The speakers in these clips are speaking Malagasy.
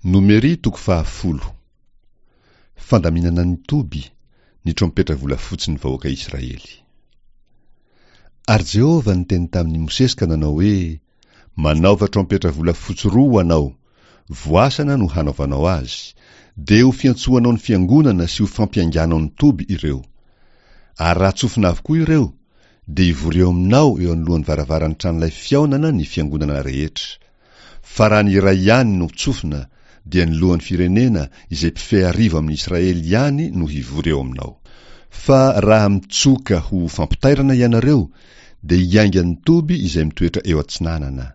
Nomery toko fahafolo. Fandaminana ny toby, ny trompetra volafotsy ny vahoaka Israely. Ary Jehovah niteny tamin'i Mosesy ka nanao hoe, Manaova trompetra volafotsy roa ho anao, voasana no hanaovanao azy, dia ho fiantsoanao ny fiangonana sy ho fampiainganao ny toby ireo. Ary raha tsofina avokoa ireo, dia hivory eo aminao eo anoloan'ny varavaran'ny tranolay fihaonana ny fiangonana rehetra. Fa raha ny iray ihany no tsofina, dia ny lohan'ny firenena izay mpifehy arivo amin'i Israely ihany no hivory eo aminao. Fa raha mitsoka ho fampitairana ianareo, dia hiainga ny toby izay mitoetra eo atsinanana.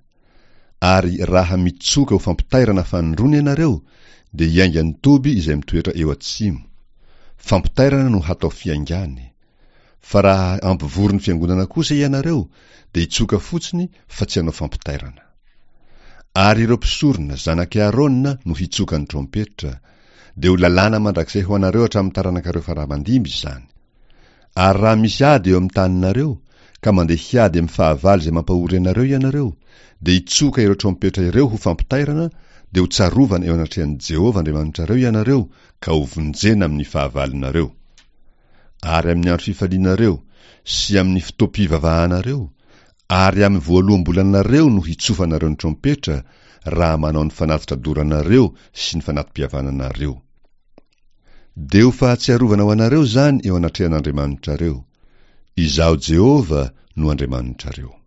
Ary raha mitsoka ho fampitairana fanindroany ianareo, dia hiainga ny toby izay mitoetra eo atsimo. Fampitairana no hatao fiaingany. Fa raha hampivory ny fiangonana kosa ianareo, dia hitsoka fotsiny fa tsy hanao fampitairana. Ary ireo mpisorona, zanak'i Aarona, no hitsoka ny trompetra, dia ho lalàna mandrakizay ho anareo hatramin'ny taranakareo fara-mandimby izany. Ary raha misy ady eo amin'ny taninareo, ka mandeha hiady amin'ny fahavalo izay mampahory anareo ianareo, dia hitsoka ireo trompetra ireo ho fampitairana, dia ho tsarovana eo anatrehan'i Jehovah Andriamanitrareo ianareo, ka hovonjena amin'ny fahavalonareo. Ary amin'ny andro fifalianareo, sy amin'ny fotoam-pivavahanareo, ary amin'ny voaloham-bolanareo no hitsofanareo ny trompetra, raha manao ny fanatitra doranareo sy ny fanati-pihavananareo. Dia ho fahatsiarovana ho anareo izany eo anatrehan'Andriamanitrareo. Izaho Jehovah no Andriamanitrareo.